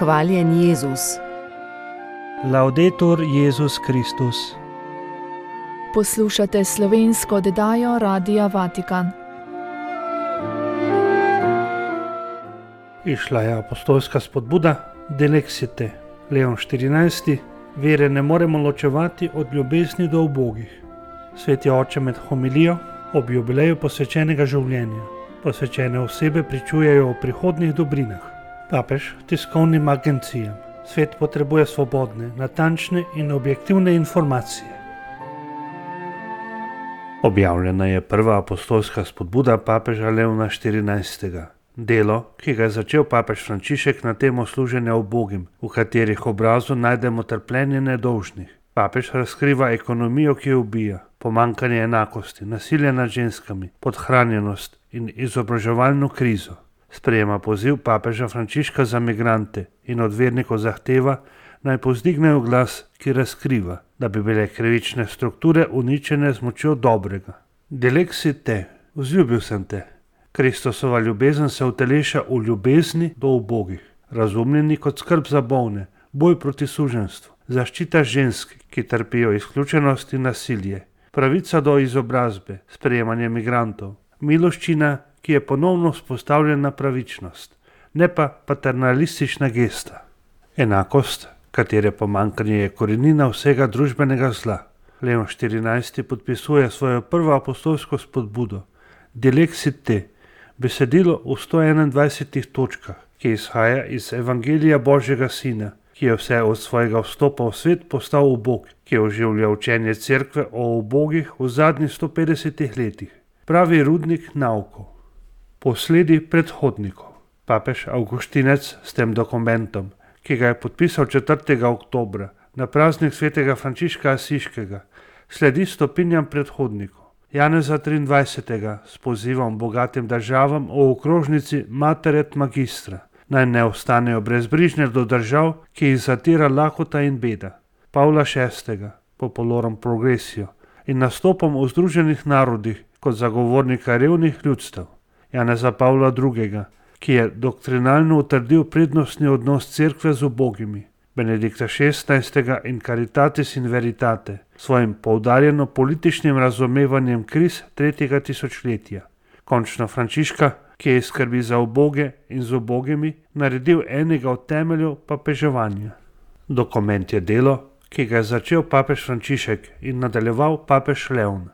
Hvaljen Jezus. Laudetur Jezus Kristus. Poslušate slovensko oddajo Radia Vatikan. Išla je apostolska spodbuda Delexite, Leon XIV. Vere ne moremo ločevati od ljubezni do ubogih. Sveti oče med homilijo ob jubileju posvečenega življenja. Posvečene osebe pričujejo o prihodnjih dobrinah. Papež tiskovnim agencijam. Svet potrebuje svobodne, natančne in objektivne informacije. Objavljena je prva apostolska spodbuda papeža Leona XIV. Delo, ki ga je začel papež Frančišek na temo služenja ubogim, v katerih obrazu najdemo trpljenje nedolžnih. Papež razkriva ekonomijo, ki ubija, pomanjkanje enakosti, nasilje nad ženskami, podhranjenost in izobraževalno krizo. Sprejema poziv papeža Frančiška za migrante in od vernikov zahteva, naj povzdignejo glas, ki razkriva, da bi bile krivične strukture uničene z močjo dobrega. Delexite, vzljubil sem te. Kristusova ljubezen se uteleša v ljubezni do ubogih, razumljeni kot skrb za bolne, boj proti suženjstvu, zaščita žensk, ki trpijo izključenost in nasilje, pravica do izobrazbe, sprejemanje migrantov, miloščina, ki je ponovno vzpostavljena pravičnost, ne pa paternalistična gesta. Enakost, katere pomanjkanje je korenina vsega družbenega zla. Leon XIV. Podpisuje svojo prvo apostolsko spodbudo Delexite, besedilo v 121 točkah, ki izhaja iz Evangelija Božjega Sina, ki je vse od svojega vstopa v svet postal ubog, ki oživlja učenje cerkve o ubogih v zadnjih 150 letih. Pravi rudnik naukov. Posledi predhodnikov. Papež Avguštinec s tem dokumentom, ki ga je podpisal 4. oktobra na praznik svetega Frančiška Asiškega, sledi stopinjam predhodnikov. Janeza 23. s pozivom bogatim državam o okrožnici Mater et Magistra, naj ne ostanejo brezbrižne do držav, ki jih zatira lakota in beda. Pavla VI. Popolorum progressio in nastopom v Združenih narodih kot zagovornika revnih ljudstev. Janeza Pavla II., ki je doktrinalno utrdil prednostni odnos cerkve z ubogimi. Benedikta XVI. In Caritatis in Veritate, svojim poudarjeno političnim razumevanjem kriz 3. tisočletja. Končno Frančiška, ki je skrbi za uboge in z ubogimi naredil enega od temeljev papeževanja. Dokument je delo, ki ga je začel papež Frančišek in nadaljeval papež Leon.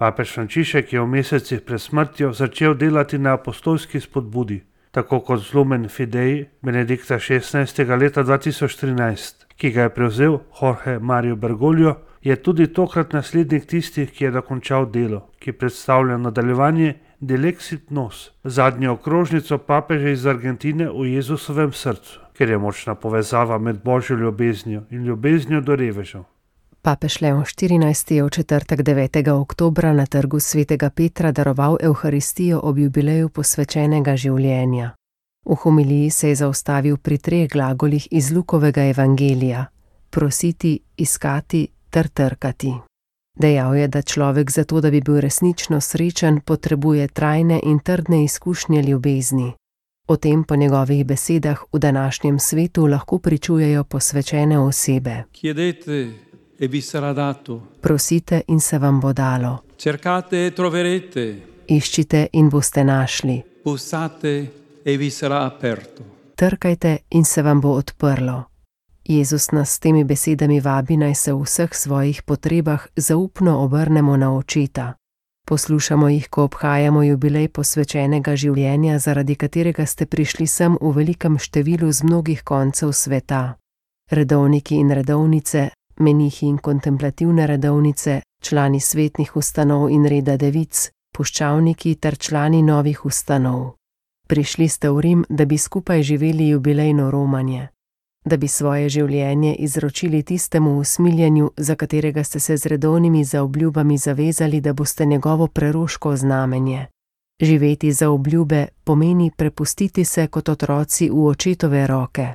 Papež Frančišek je v mesecih pred smrtjo začel delati na apostolski spodbudi, tako kot z Lumen Fidei Benedikta XVI. Leta 2013, ki ga je prevzel Jorge Mario Bergoglio, je tudi tokrat naslednik tistih, ki je dokončal delo, ki predstavlja nadaljevanje Delexit Nos, zadnjo okrožnico papeža iz Argentine v Jezusovem srcu, ker je močna povezava med Božjo ljubeznijo in ljubeznijo do revežev. Papež Leon XIV. Je v četrtek 9. oktobra na trgu svetega Petra daroval Evharistijo ob jubileju posvečenega življenja. V homiliji se je zaustavil pri 3 glagolih iz Lukovega evangelija: prositi, iskati ter trkati. Dejal je, da človek zato, da bi bil resnično srečen, potrebuje trajne in trdne izkušnje ljubezni. O tem po njegovih besedah v današnjem svetu lahko pričujejo posvečene osebe. E vi sarà dato. Prosite in se vam bo dalo. Cercate e troverete. Iščite in boste našli. Bussate e vi sarà aperto. Trkajte in se vam bo odprlo. Jezus nas s temi besedami vabi, naj se v vseh svojih potrebah zaupno obrnemo na očeta. Poslušamo jih, ko obhajamo jubilej posvečenega življenja, zaradi katerega ste prišli sem v velikem številu z mnogih koncev sveta. Redovniki in redovnice, menihi in kontemplativne redovnice, člani svetnih ustanov in reda devic, puščavniki ter člani novih ustanov. Prišli ste v Rim, da bi skupaj živeli jubilejno romanje, da bi svoje življenje izročili tistemu usmiljenju, za katerega ste se z redovnimi zaobljubami zavezali, da boste njegovo preroško znamenje. Živeti za obljube pomeni prepustiti se kot otroci v očetove roke.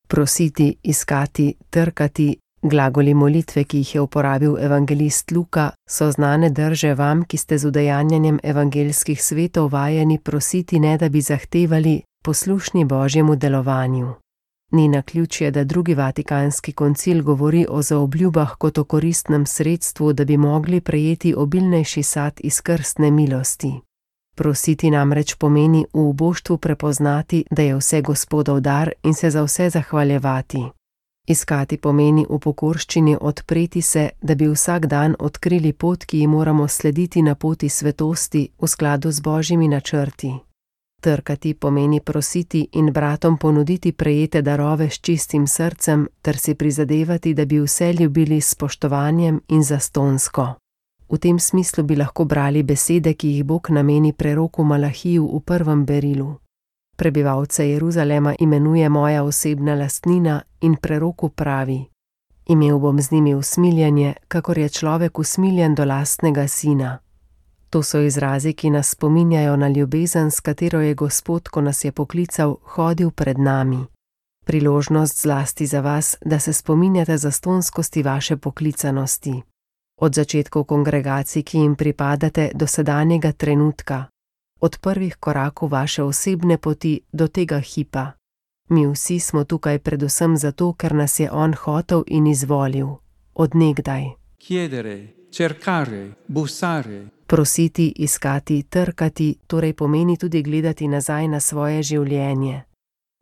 Prositi, iskati, trkati, glagoli molitve, ki jih je uporabil evangelist Luka, so znane drže vam, ki ste z udejanjanjem evangelskih svetov vajeni prositi, ne da bi zahtevali, poslušni Božjemu delovanju. Ni naključje, da drugi Vatikanski koncil govori o zaobljubah kot o koristnem sredstvu, da bi mogli prejeti obilnejši sad iz krstne milosti. Prositi namreč pomeni v uboštvu prepoznati, da je vse Gospodov dar in se za vse zahvaljevati. Iskati pomeni v pokorščini odpreti se, da bi vsak dan odkrili pot, ki ji moramo slediti na poti svetosti v skladu z Božjimi načrti. Trkati pomeni prositi in bratom ponuditi prejete darove s čistim srcem ter si prizadevati, da bi vse ljubili s spoštovanjem in zastonsko. V tem smislu bi lahko brali besede, ki jih Bog nameni preroku Malahiju v prvem berilu. Prebivalce Jeruzalema imenuje moja osebna lastnina in preroku pravi: Imel bom z njimi usmiljenje, kakor je človek usmiljen do lastnega sina. To so izrazi, ki nas spominjajo na ljubezen, s katero je Gospod, ko nas je poklical, hodil pred nami. Priložnost zlasti za vas, da se spominjate zastonskosti vaše poklicanosti. Od začetkov kongregacij, ki jim pripadate, do sedanjega trenutka. Od prvih korakov vaše osebne poti do tega hipa. Mi vsi smo tukaj predvsem zato, ker nas je On hotel in izvolil. Od nekdaj. Chiedere, cercare, bussare. Prositi, iskati, trkati, torej pomeni tudi gledati nazaj na svoje življenje.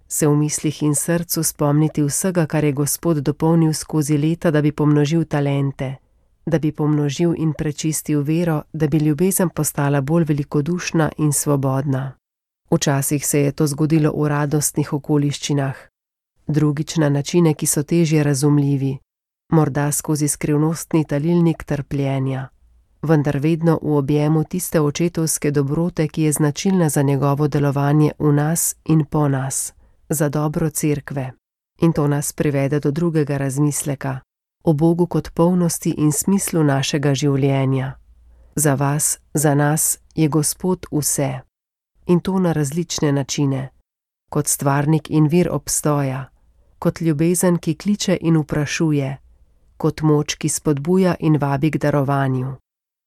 Se v mislih in srcu spomniti vsega, kar je Gospod dopolnil skozi leta, da bi pomnožil talente, da bi pomnožil in prečistil vero, da bi ljubezen postala bolj velikodušna in svobodna. Včasih se je to zgodilo v radostnih okoliščinah, drugič na načine, ki so težje razumljivi, morda skozi skrivnostni talilnik trpljenja, vendar vedno v objemu tiste očetovske dobrote, ki je značilna za njegovo delovanje v nas in po nas, za dobro cerkve. In to nas privede do drugega razmisleka, o Bogu kot polnosti in smislu našega življenja. Za vas, za nas je Gospod vse. In to na različne načine. Kot stvarnik in vir obstoja, kot ljubezen, ki kliče in vprašuje, kot moč, ki spodbuja in vabi k darovanju.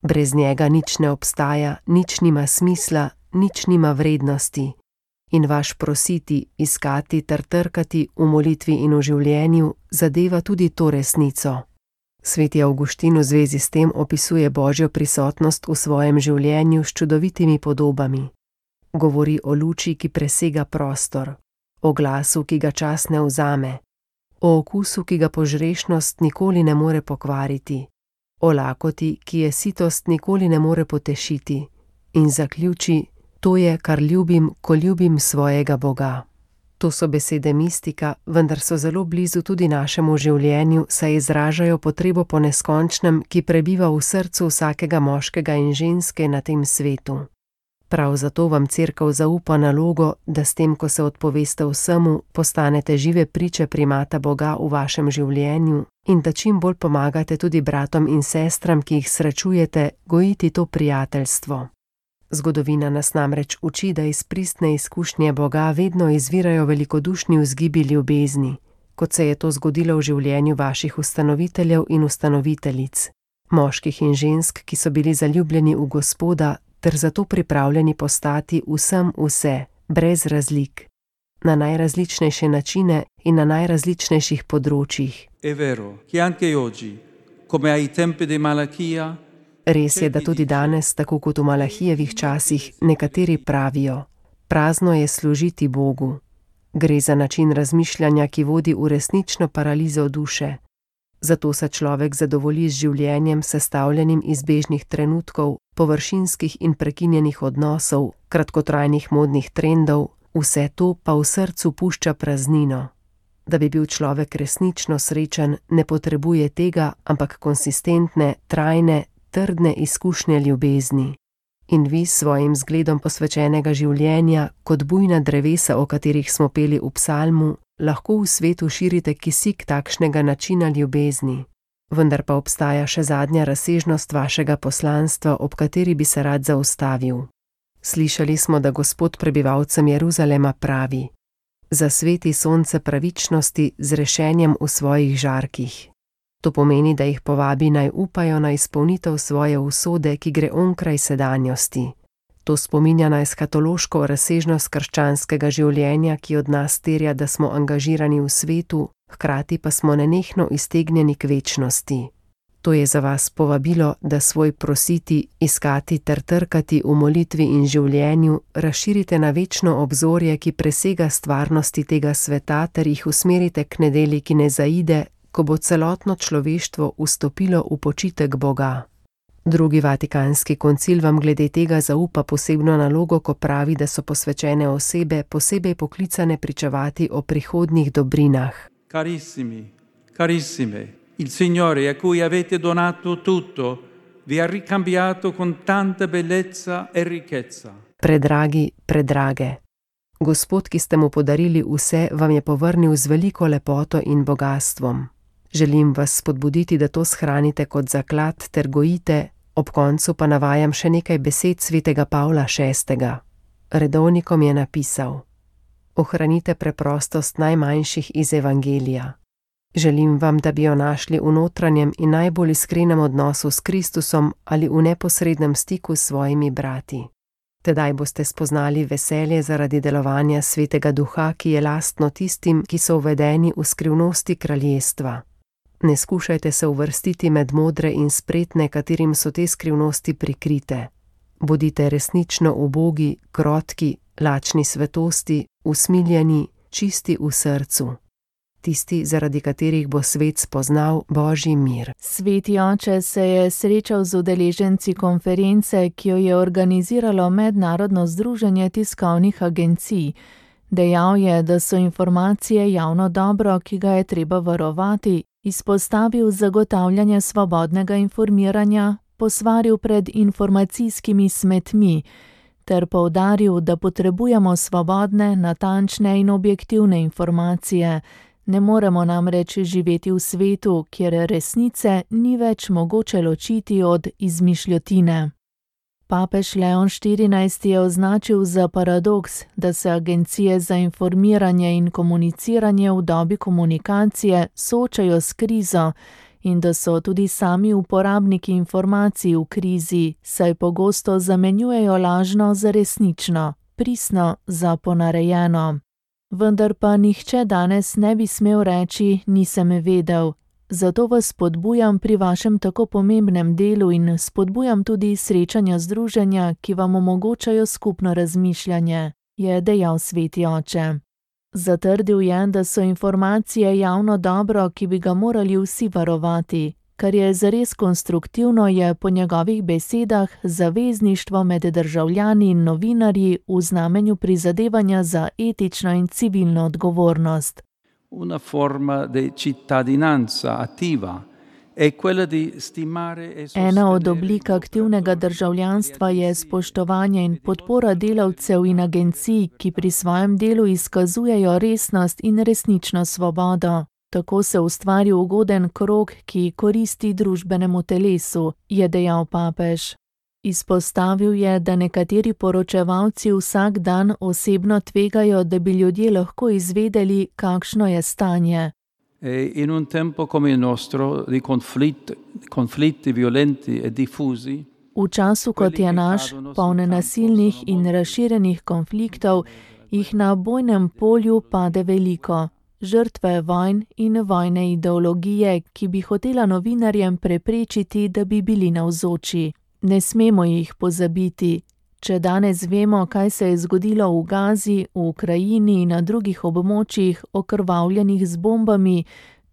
Brez njega nič ne obstaja, nič nima smisla, nič nima vrednosti. In vaš prositi, iskati ter trkati v molitvi in v življenju zadeva tudi to resnico. Sveti Avguštin v zvezi s tem opisuje Božjo prisotnost v svojem življenju s čudovitimi podobami. Govori o luči, ki presega prostor, o glasu, ki ga čas ne vzame, o okusu, ki ga požrešnost nikoli ne more pokvariti, o lakoti, ki je sitost nikoli ne more potešiti, in zaključi: to je, kar ljubim, ko ljubim svojega Boga. To so besede mistika, vendar so zelo blizu tudi našemu življenju, saj izražajo potrebo po neskončnem, ki prebiva v srcu vsakega moškega in ženske na tem svetu. Prav zato vam Cerkev zaupa nalogo, da s tem, ko se odpoveste vsemu, postanete žive priče primata Boga v vašem življenju in da čim bolj pomagate tudi bratom in sestram, ki jih srečujete, gojiti to prijateljstvo. Zgodovina nas namreč uči, da iz pristne izkušnje Boga vedno izvirajo velikodušni vzgibi ljubezni, kot se je to zgodilo v življenju vaših ustanoviteljev in ustanoviteljic, moških in žensk, ki so bili zaljubljeni v Gospoda ter zato pripravljeni postati vsem vse, brez razlik, na najrazličnejše načine in na najrazličnejših področjih. È vero che anche oggi, come ai tempi di Malachia, Res je, da tudi danes, tako kot v Malahijevih časih, nekateri pravijo: prazno je služiti Bogu. Gre za način razmišljanja, ki vodi v resnično paralizo duše. Zato se človek zadovolji z življenjem, sestavljenim iz bežnih trenutkov, površinskih in prekinjenih odnosov, kratkotrajnih modnih trendov, vse to pa v srcu pušča praznino. Da bi bil človek resnično srečen, ne potrebuje tega, ampak konsistentne, trajne, trdne izkušnje ljubezni. In vi s svojim zgledom posvečenega življenja, kot bujna drevesa, o katerih smo peli v psalmu, lahko v svetu širite kisik takšnega načina ljubezni. Vendar pa obstaja še zadnja razsežnost vašega poslanstva, ob kateri bi se rad zaustavil. Slišali smo, da Gospod prebivalcem Jeruzalema pravi: zasveti sonce pravičnosti z rešenjem v svojih žarkih. To pomeni, da jih povabi naj upajo na izpolnitev svoje usode, ki gre onkraj sedanjosti. To spominja na eskatološko razsežnost krščanskega življenja, ki od nas terja, da smo angažirani v svetu, hkrati pa smo nenehno iztegnjeni k večnosti. To je za vas povabilo, da svoj prositi, iskati ter trkati v molitvi in življenju razširite na večno obzorje, ki presega stvarnosti tega sveta, ter jih usmerite k nedelji, ki ne zaide, ko bo celotno človeštvo vstopilo v počitek Boga. Drugi Vatikanski koncil vam glede tega zaupa posebno nalogo, ko pravi, da so posvečene osebe posebej poklicane pričevati o prihodnjih dobrinah. Carissimi, carissime, il Signore a cui avete donato tutto vi ha ricambiato con tanta bellezza e ricchezza. Predragi, predrage. Gospod, ki ste mu podarili vse, vam je povrnil z veliko lepoto in bogatstvom. Želim vas spodbuditi, da to shranite kot zaklad ter gojite, ob koncu pa navajam še nekaj besed svetega Pavla VI. Redovnikom je napisal: Ohranite preprostost najmanjših iz evangelija. Želim vam, da bi jo našli v notranjem in najbolj iskrenem odnosu s Kristusom ali v neposrednem stiku s svojimi brati. Tedaj boste spoznali veselje zaradi delovanja Svetega Duha, ki je lastno tistim, ki so uvedeni v skrivnosti kraljestva. Ne skušajte se uvrstiti med modre in spretne, katerim so te skrivnosti prikrite. Bodite resnično ubogi, krotki, lačni svetosti, usmiljeni, čisti v srcu. Tisti, zaradi katerih bo svet spoznal Božji mir. Sveti oče se je srečal z udeleženci konference, ki jo je organiziralo Mednarodno združenje tiskovnih agencij. Dejal je, da so informacije javno dobro, ki ga je treba varovati, izpostavil zagotavljanje svobodnega informiranja, posvaril pred informacijskimi smetmi, ter poudaril, da potrebujemo svobodne, natančne in objektivne informacije. Ne moremo namreč živeti v svetu, kjer resnice ni več mogoče ločiti od izmišljotine. Papež Leon XIV je označil za paradoks, da se agencije za informiranje in komuniciranje v dobi komunikacije soočajo s krizo in da so tudi sami uporabniki informacij v krizi, saj pogosto zamenjujejo lažno za resnično, pristno za ponarejeno. Vendar pa nihče danes ne bi smel reči, nisem vedel. Zato vas spodbujam pri vašem tako pomembnem delu in spodbujam tudi srečanja združenja, ki vam omogočajo skupno razmišljanje, je dejal sveti oče. Zatrdil je, da so informacije javno dobro, ki bi ga morali vsi varovati. Kar je zares konstruktivno, je po njegovih besedah zavezništvo med državljani in novinarji v znamenju prizadevanja za etično in civilno odgovornost. Una forma di cittadinanza attiva è quella di stimare e sostenere. Ena od oblik aktivnega državljanstva je spoštovanje in podpora delavcev in agencij, ki pri svojem delu izkazujejo resnost in resnično svobodo. Tako se ustvari ugoden krog, ki koristi družbenemu telesu, je dejal papež. Izpostavil je, da nekateri poročevalci vsak dan osebno tvegajo, da bi ljudje lahko izvedeli, kakšno je stanje. In un tempo come il nostro di conflitti violenti e diffusi. V času, kot je naš, poln nasilnih in razširjenih konfliktov, jih na bojnem polju pade veliko. Žrtve vojn in vojne ideologije, ki bi hotela novinarjem preprečiti, da bi bili navzoči. Ne smemo jih pozabiti. Če danes vemo, kaj se je zgodilo v Gazi, v Ukrajini in na drugih območjih, okrvavljenih z bombami,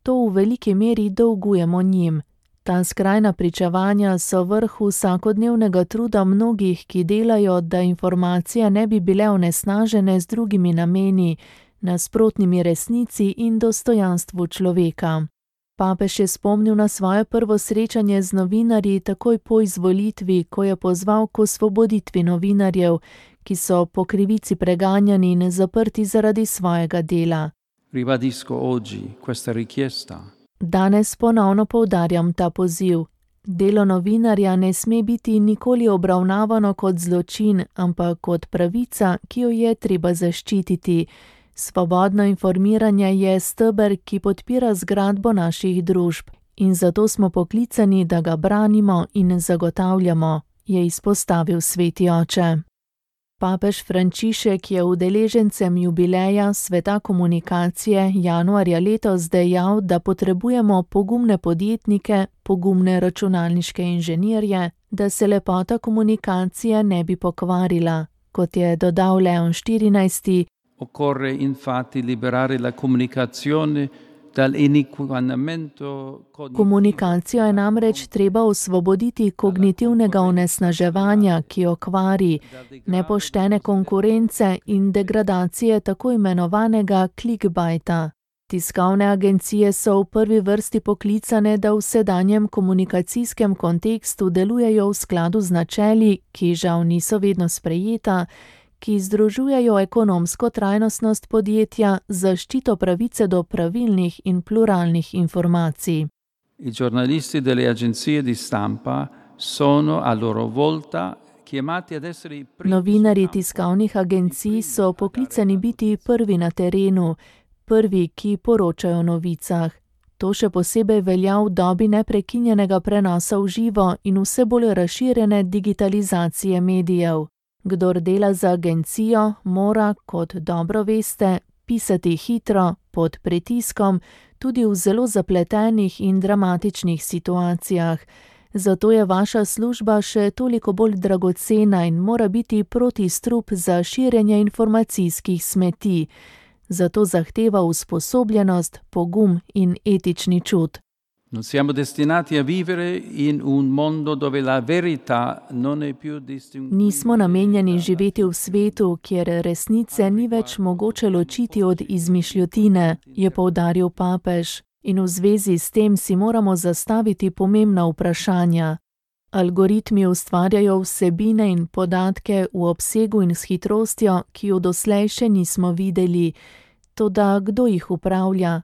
to v veliki meri dolgujemo njim. Ta skrajna pričevanja so vrh vsakodnevnega truda mnogih, ki delajo, da informacije ne bi bile onesnažene z drugimi nameni, nasprotnimi resnici in dostojanstvu človeka. Papež je spomnil na svoje prvo srečanje z novinarji takoj po izvolitvi, ko je pozval k osvoboditvi novinarjev, ki so po krivici preganjani in zaprti zaradi svojega dela. Ribadisco oggi questa richiesta. Danes ponovno poudarjam ta poziv. Delo novinarja ne sme biti nikoli obravnavano kot zločin, ampak kot pravica, ki jo je treba zaščititi. Svobodno informiranje je steber, ki podpira zgradbo naših družb in zato smo poklicani, da ga branimo in zagotavljamo, je izpostavil sveti oče. Papež Frančišek je udeležencem jubileja Sveta komunikacije januarja letos dejal, da potrebujemo pogumne podjetnike, pogumne računalniške inženirje, da se lepota komunikacije ne bi pokvarila. Kot je dodal Leon XIV. Occorre infatti liberare la comunicazione dal iniquinamento cognitivo. Komunikacijo je namreč treba osvoboditi kognitivnega onesnaževanja, ki jo kvari, nepoštene konkurence in degradacije tako imenovanega clickbaita. Tiskovne agencije so v prvi vrsti poklicane, da v sedanjem komunikacijskem kontekstu delujejo v skladu z načeli, ki žal niso vedno sprejeta, ki združujejo ekonomsko trajnostnost podjetja, zaščito pravice do pravilnih in pluralnih informacij. I giornalisti delle agenzie di stampa sono a loro volta chiamati ad essere i primi. Novinarji tiskovnih agencij so poklicani biti prvi na terenu, prvi, ki poročajo o novicah. To še posebej velja v dobi neprekinjenega prenosa v živo in vse bolj razširjene digitalizacije medijev. Kdor dela za agencijo, mora, kot dobro veste, pisati hitro, pod pritiskom, tudi v zelo zapletenih in dramatičnih situacijah. Zato je vaša služba še toliko bolj dragocena in mora biti protistrup za širjenje informacijskih smeti. Zato zahteva usposobljenost, pogum in etični čut. Non siamo destinati a vivere in un mondo dove la verità non è più distinguibile. Nismo namenjeni živeti v svetu, kjer resnice ni več mogoče ločiti od izmišljotine, je poudaril papež. In v zvezi s tem si moramo zastaviti pomembna vprašanja. Algoritmi ustvarjajo vsebine in podatke v obsegu in s hitrostjo, ki jo doslej še nismo videli. Toda kdo jih upravlja?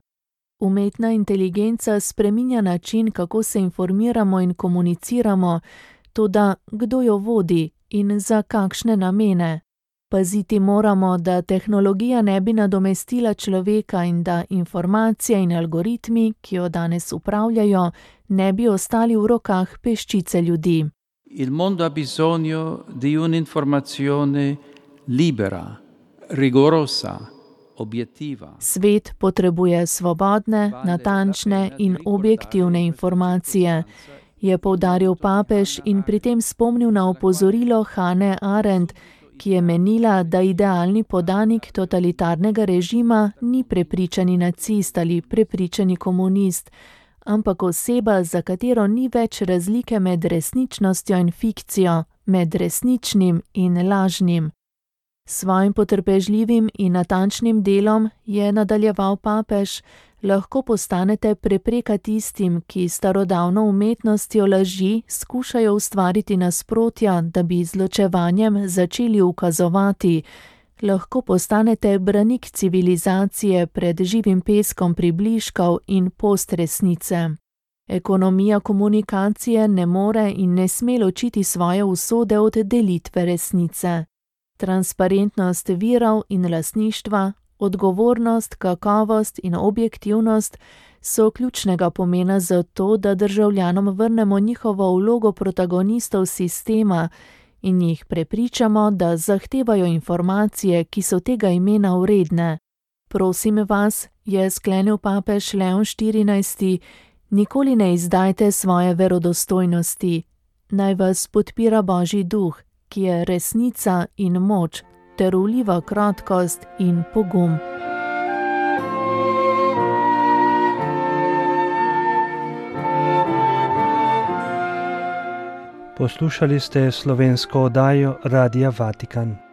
Umetna inteligenca spreminja način, kako se informiramo in komuniciramo, toda kdo jo vodi in za kakšne namene? Paziti moramo, da tehnologija ne bi nadomestila človeka in da informacije in algoritmi, ki jo danes upravljajo, ne bi ostali v rokah peščice ljudi. Il mondo ha bisogno di un'informazione libera, rigorosa, obiettiva. Svet potrebuje svobodne, natančne in objektivne informacije, je poudaril papež in pri tem spomnil na opozorilo Hannah Arendt, ki je menila, da idealni podanik totalitarnega režima ni prepričani nacist ali prepričani komunist, ampak oseba, za katero ni več razlike med resničnostjo in fikcijo, med resničnim in lažnim. Svojim potrpežljivim in natančnim delom, je nadaljeval papež, lahko postanete prepreka tistim, ki starodavno umetnostjo laži skušajo ustvariti nasprotja, da bi z ločevanjem začeli ukazovati. Lahko postanete branik civilizacije pred živim peskom približkov in postresnice. Ekonomija komunikacije ne more in ne sme ločiti svoje usode od delitve resnice. Transparentnost virov in lastništva, odgovornost, kakovost in objektivnost so ključnega pomena za to, da državljanom vrnemo njihovo vlogo protagonistov sistema in jih prepričamo, da zahtevajo informacije, ki so tega imena vredne. Prosim vas, je sklenil papež Leon XIV, nikoli ne izdajte svoje verodostojnosti. Naj vas podpira Božji duh, ki je resnica in moč, ter vliva krotkost in pogum. Poslušali ste slovensko oddajo Radia Vatikan.